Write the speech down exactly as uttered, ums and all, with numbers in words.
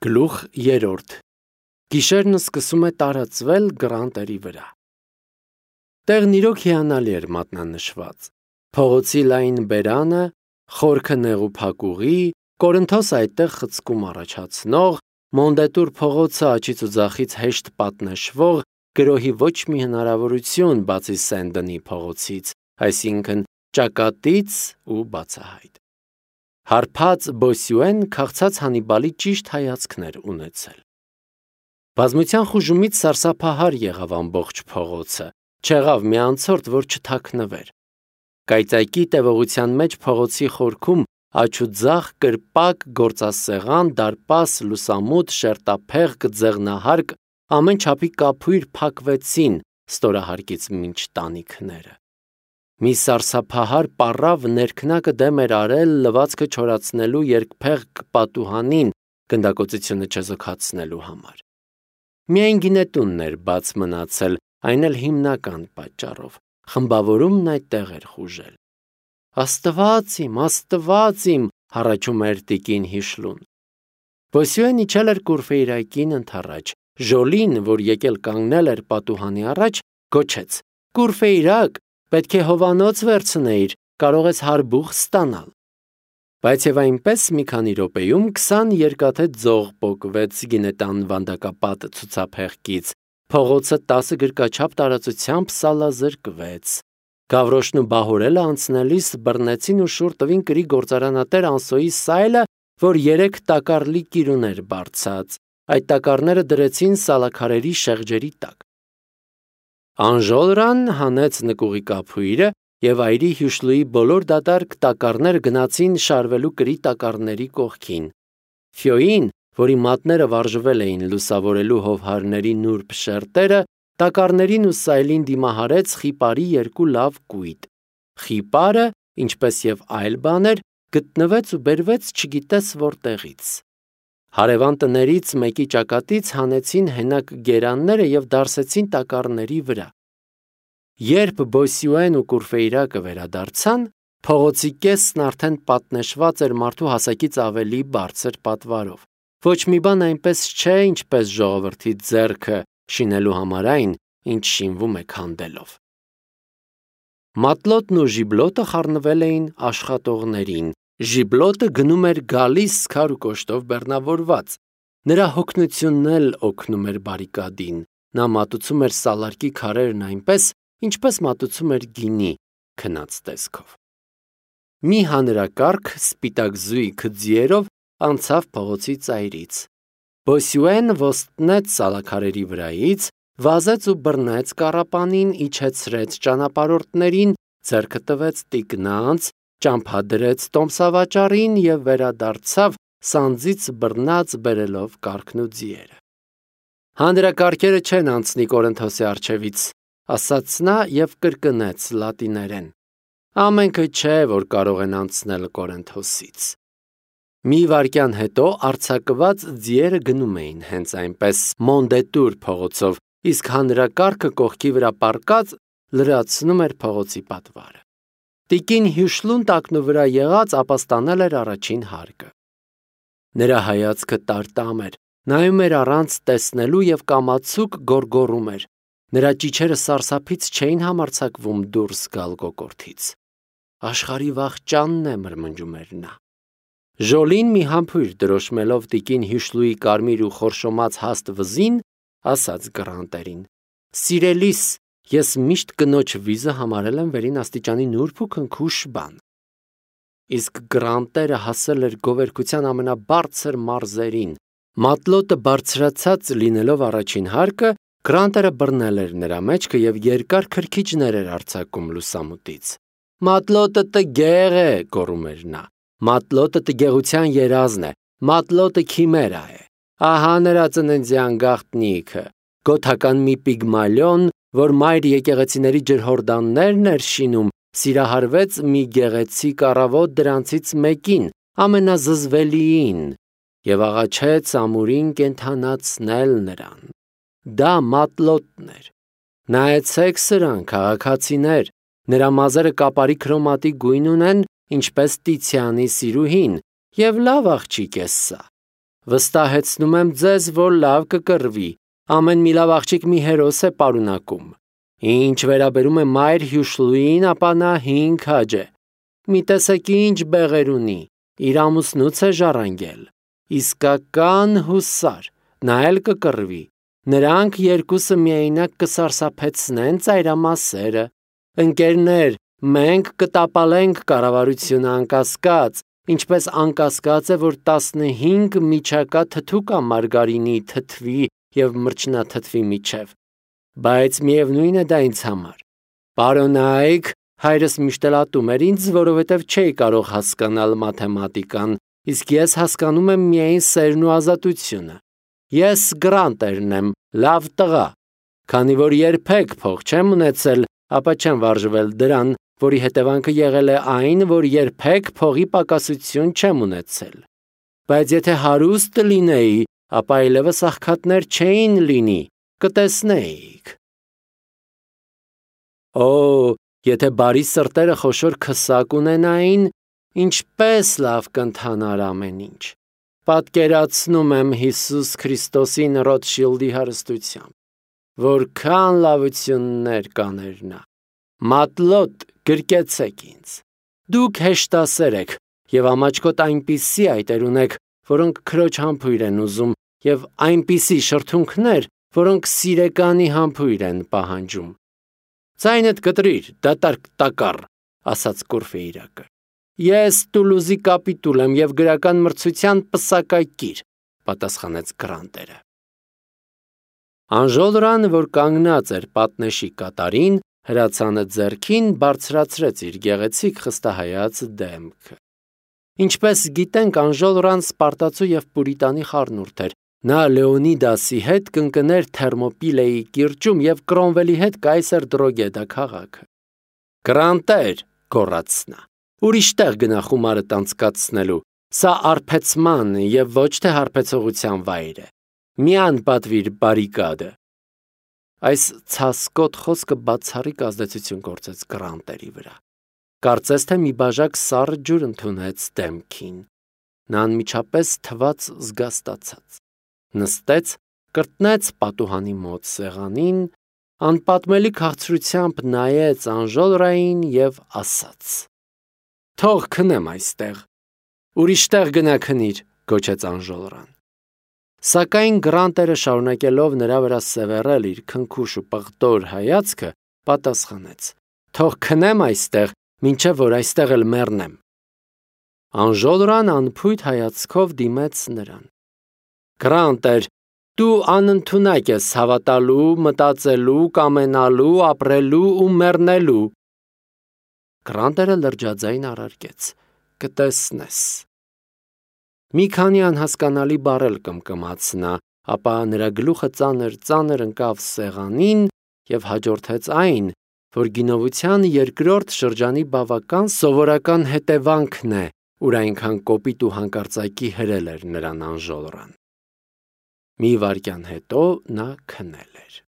Գլուխ երրորդ Գիշերն սկսում է տարածվել գռանտերի վրա։ Տեղն իրոք հիանալի էր մատնանշված։ Փողոցի լայն բերանը, խորքը նեղու փակուղի, Կորինթոս այդտեղ խցկում առաջացնող, Մոնդետուր փողոցը աջից ու ձախից հեշտ պատնշվող, գրոհի ոչ մի հնարավորություն բացի Սեն-Դենի փողոցից, այսինքն ճակատից ու բացահայտ։ Հարբած Բոսյուեն քաղցած Հանիբալի ճիշտ հայացքն էր ունեցել։ Բազմության խուժումից սարսափահար եղավ ամբողջ փողոցը, չեղավ մի անցորդ, որ չթաքնվեր։ Կայծակի տևողության մեջ փողոցի խորքում աջ ու ձախ կրպակ, գործասեղան, դարպաս, լուսամուտ, շերտափեղկ, ձեղնահարկ, ամեն չափի կափույր փակվեցին ստորահարկից մինչ տանիքները։ Մի սարսափահար պառավ ներքնակը դեմ էր արել լվացքը չորացնելու երկփեղկ պատուհանին գնդակոծությունը չեզոքացնելու համար։ Միայն գինետունն էր բաց մնացել, այն էլ հիմնական պատճառով, խմբավորումն այդտեղ էր խուժել։ Աստված իմ, Աստված իմ, հառաչում էր տիկին Հիշլուն։ Բոսյուեն իջել էր Կուրֆեյրակին ընդառաջ, Ժոլին, որ եկել կանգնել էր պատուհանի առաջ, գոչեց. «Կուրֆեյրակ, պետք է հովանոց վերցնեիր, կարող ես հարբուխ ստանալ»։ Բայց եւ այնպես մի քանի րոպեում քսան երկաթե ձող պոկվեց գինետան վանդակապատ ցուցափեղկից, փողոցը տասը գրկաչափ տարածությամբ սալազրկվեց։ Գավրոշն ու Բահորելը անցնելիս բռնեցին ու շուռ տվին կրի գործարանատեր Անսոյի սայլը, որ երեք տակառլի կիրուներ բարձած, այդ տակառները դրեցին սալաքարերի շեղջերի տակ։ Անժոլրան հանեց նկուղի կափույրը եւ այրի Հյուշլուի բոլոր դատարկ տակառները գնացին շարվելու կրի տակառների կողքին։ Ֆյոին, որի մատները վարժվել էին լուսավորելու հովհարների նուրբ շերտերը, տակառներին ու սայլին դիմահարեց խիպարի երկու լավ կույտ։ Խիպարը, ինչպես եւ այլ բաներ, գտնվեց ու բերվեց չգիտես որտեղից։ Հարևան տներից մեկի ճակատից հանեցին հենակ գերանները եւ դարսեցին տակառների վրա։ Երբ Բոսյուեն ու Կուրֆեյրակը վերադարձան, փողոցի կեսն արդեն պատնեշված էր մարդու հասակից ավելի բարձր պատվարով։ Ոչ մի բան այնպես չէ, ինչպես ժողովրդի ձեռքը շինելու համար այն, ինչ շինվում է քանդելով։ Մատլոտն ու Ժիբլոտը խառնվել էին աշխատողներին։ Ժիբլոտը գնում էր գալիս սքար ու կոշտով բեռնավորված։ Նրա հոգնությունն էլ օգնում էր բարիկադին։ Նա մատուցում էր սալարկի քարերն այնպես, ինչպես մատուցում էր գինի, քնած տեսքով։ Մի հանրակարգ սպիտակ զույգ ձիերով անցավ փողոցի ծայրից։ Բոսյուեն ոստնեց սալաքարերի վրայից, վազեց ու բռնեց կառապանին, իջեցրեց ճանապարհորդներին, ձեռքը տվեց տիկնանց, ճամփադրեց տոմսավաճառին եւ վերադարձավ սանձից բռնած բերելով կառքն ու ձիերը։ Հանրակարգերը չեն անցնի Կորինթոսի առջևից, ասաց նա եւ կրկնեց լատիներեն. ամենքը չէ, որ կարող են անցնել Կորինթոսից։ Մի վայրկյան հետո արձակված ձիերը գնում էին հենց այնպես Մոնդետուր փողոցով, իսկ հանրակարգը կողքի վրա պառկած լրացնում էր փողոցի պատվարը։ Տիկին Հյուշլուն տակնուվրա եղած ապաստանել էր առաջին հարկը։ Նրա հայացքը տարտամ էր, նայում էր առանց տեսնելու եւ կամացուկ գոռգոռում էր։ Նրա ճիչերը սարսափից չէին համարձակվում դուրս գալ կոկորդից։ Աշխարհի վախճանն է, մրմնջում էր նա։ Ժոլին մի համբույր դրոշմելով տիկին Հյուշլուի կարմիր ու խորշոմած հաստ վզին, ասաց գռանտերին. «Սիրելիս, ես միշտ կնոջ վիզը համարել եմ վերին աստիճանի նուրբ ու քնքուշ բան»։ Իսկ գռանտերը հասել էր գովերքության ամենաբարձր մարզերին։ Մատլոտը բարձրացած լինելով առաջին հարկը, գռանտերը բռնել էր նրա մեջքը եւ երկար քրքիջներ էր արձակում լուսամուտից։ «Մատլոտը տգեղ է», գոռում էր նա։ «Մատլոտը տգեղության երազն է, մատլոտը քիմերա է։ Ահա նրա ծննդյան գաղտնիքը, գոթական մի պիգմալիոն, որ մայր եկեղեցիների ջրհորդաններն էր շինում, սիրահարվեց մի գեղեցիկ առավոտ դրանցից մեկին, ամենազզվելիին, եւ աղաչեց ամուրին կենդանացնել նրան։ Դա մատլոտն էր։ Նայեցեք սրան, քաղաքացիներ, նրա մազերը կապարի քրոմատի գույն ունեն, ինչպես Տիցիանի սիրուհին, եւ լավ աղջիկ է սա։ Վստահեցնում եմ ձեզ, որ լավ կկռվի, ամեն մի լավ աղջիկ մի հերոս է պարունակում։ Ինչ վերաբերում է մայր հյուշլուին, ապա նա հինգ քաջ է։ Մի տեսեք ինչ բեղեր ունի, իր ամուսնուց է ժառանգել։ Իսկական հուսար, նա էլ կկռվի։ Նրանք երկուսը միայնակ կսարսափեցնեն ծայրամասերը։ Ընկերներ, մենք կտապալենք կառավարությունը անկասկած, ինչպես անկասկած է, որ տասնհինգ միջակա թթու կա մարգարինի թթվի և մրջնաթթվի միջև, բայց միևնույն է դա ինձ համար։ Պարոնայք, հայրս միշտ էլ ատում էր ինձ, որովհետև չէի կարող հասկանալ մաթեմատիկան, իսկ ես հասկանում եմ միայն սերն ու ազատությունը։ Ես գրանտերն եմ, լավ տղա, քանի որ երբեք փող չեմ ունեցել, ապա չեմ վարժվել դրան, որի հետևանքը եղել է այն, որ երբեք փողի պակասություն չեմ ունեցել։ Բայց եթե հարուստ լինեի, ապա այլևս աղքատներ չէին լինի, կտեսնեիք։ Օ, եթե բարի սրտերը խոշոր քսակ ունենային, ինչպես լավ կընթանար ամեն ինչ։ Պատկերացնում եմ Հիսուս Քրիստոսին Ռոթշիլդի հարստությամբ, որքան լավություններ կաներ նա։ Մատլոտ, գրկեցեք ինձ։ Դուք հեշտասեր եք և ամաչկոտ այնպիսի այտեր ունեք, որոնք քրոջ համբույր են ուզում, և այնպիսի շրթունքներ, որոնք սիրեկանի համբույր են պահանջում։ Ձայնդ կտրիր, դատարկ տակառ, ասաց Կուրֆեյրակը։ Ես Տուլուզի կապիտուլ եմ և գրական մրցության պսակակիր, պատասխանեց Գրանտերը։ Անժոլրան, որ կանգնած էր պատնեշի կատարին, հրացանը ձեռքին բարձրացրեց իր գեղեցիկ խստահայաց դեմքը։ Ինչպես գիտենք, Անժոլրան Սպարտացու և Պուրիտանի խառնուրդ էր։ Նա Լեոնիդասի հետ կընկներ Թերմոպիլեի կիրճում և Կրոմվելի հետ կայսեր Դրոգեդա քաղաքը։ Գրանտեր, գոռաց նա, ուրիշ տեղ գնա խումարդ անցկացնելու, սա արբեցման և ոչ թե հարբեցողության վայր է։ Մի անպատվիր բարիկադը։ Այս ցասկոտ խոսքը բացառիկ ազդեցություն գործեց Գրանտերի վրա։ Կարծես թե մի բաժակ սառը ջուր ընդունեց դեմքին։ Նա անմիջապես թվաց զգաստացած։ Նստեց, կրտնեց պատուհանի մոտ սեղանին, անպատմելի քաղցրությամբ նայեց Անժոլրային և ասաց. Թող քնեմ այստեղ։ Ուրիշ տեղ գնա քնիր, գոչեց Անժոլրան։ Սակայն Գրանտերը, շարունակելով նրա վրա սևեռել իր քնքուշ ու պղտոր հայացքը, պատասխանեց. Թող քնեմ այստեղ, մինչև որ այստեղ էլ մեռնեմ։ Անժոլրան անփույթ հայացքով դիմեց նրան։ Գրանտեր, դու անընդունակ ես հավատալու, մտածելու, կամենալու, ապրելու ու մեռնելու։ Գրանտերը լրջաձայն առարկեց. Կտեսնես։ Մի քանի անհասկանալի բառեր կմկմաց նա, ապա նրա գլուխը ծանր-ծանր ընկավ սեղանին և հաջորդեց այն, որ գինովության երկրորդ շրջանի բավական սովորական հետևանքն է, ուր այնքան կոպիտ ու հանկարծակի հրել էր նրան Անժոլրան։ Մի վայրկյան հետո նա քնել էր։